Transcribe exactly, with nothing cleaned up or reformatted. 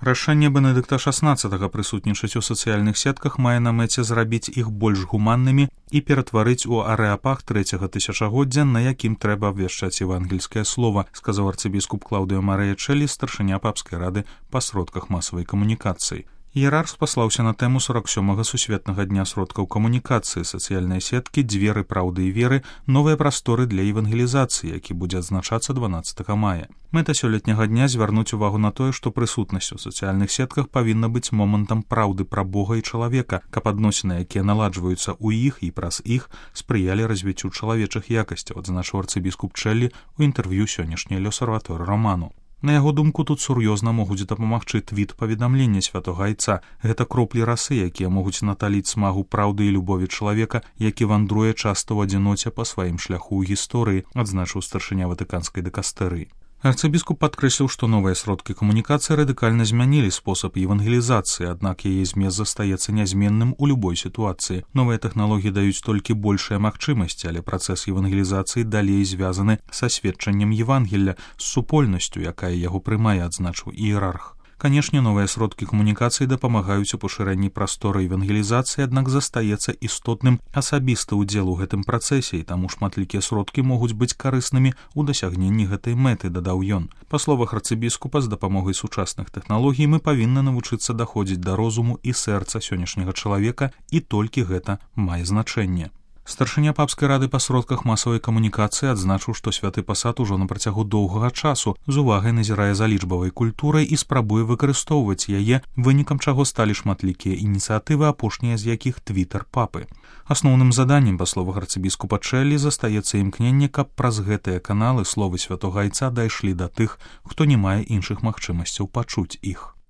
Рашэнне Бенедыкта шаснаццатага прысутнічаць у сацыяльных сетках мае на мэце зрабіць іх больш гуманнымі і ператварыць у арэапаг трэцяга тысячагоддзя, на якім трэба абвяшчаць евангельскае слова, сказаў арцыбіскуп Клаўдыё Марыя Чэлі, старшыня папскай рады па сродках масавай камунікацыі. Іерарх спаслаўся на тэму сорок сёмага сусветнага дня сродкаў камунікацыі, сацыяльныя сеткі, дзверы праўды і веры, новыя прасторы для евангелізацыі, які будзе адзначацца дванаццатага мая. Мэта сёлетняга дня звярнуць увагу на тое, што прысутнасць у сацыяльных сетках павінна быць момантам праўды пра Бога і чалавека, каб адносіны, якія наладжваюцца ў іх і праз іх, спрыялі развіццю чалавечых якасцяў, адзначыў арцыбіскуп Чэлі ў інтэрв'ю сённяшняй Лёсарваторы Роману. На яго думку, тут сур'ёзна могуць дапамагчы твіт паведамлення святога айца. Гэта кроплі расы, якія могуць наталіць смагу праўды і любові чалавека, які вандруе часта ў адзіноце па сваім шляху ў гісторыі, адзначыў старшыня ватыканскай дыкастэрыі. Арцыбіскуп падкрэсліў, што новыя сродкі камунікацыі радыкальна змянілі спосаб евангелізацыі, аднак яе змест застаецца нязменным у любой сітуацыі. Новыя тэхналогіі даюць толькі большыя магчымасці, але працэс евангелізацыі далей звязаны са сведчаннем Евангелля, з супольнасцю, якая яго прымае, адзначыў іерарх. Канешне, новыя сродкі камунікацыі дапамагаюць у пашырэнні прасторы евангелізацыі, аднак застаецца істотным асабісты ўдзел у гэтым працэсе, і таму шматлікія сродкі могуць быць карыснымі ў дасягненні гэтай мэты, дадаў ён. Па словах арцыбіскупа, з дапамогай сучасных тэхналогій мы павінны навучыцца даходзіць да розуму і сэрца сённяшняга чалавека, і толькі гэта мае значэнне. Старшыня папскай рады па сродках масавай камунікацыі адзначыў, што святы пасад ужо на працягу доўгага часу з увагай назірае за лічбавай культурай і спрабуе выкарыстоўваць яе, вынікам чаго сталі шматлікія ініцыятывы, апошнія з якіх твітер папы. Асноўным заданнем, па словах арцыбіскупа Чэлі, застаецца імкненне, каб праз гэтыя каналы словы святога айца дайшлі да тых, хто не мае іншых магчымасцяў пачуць іх.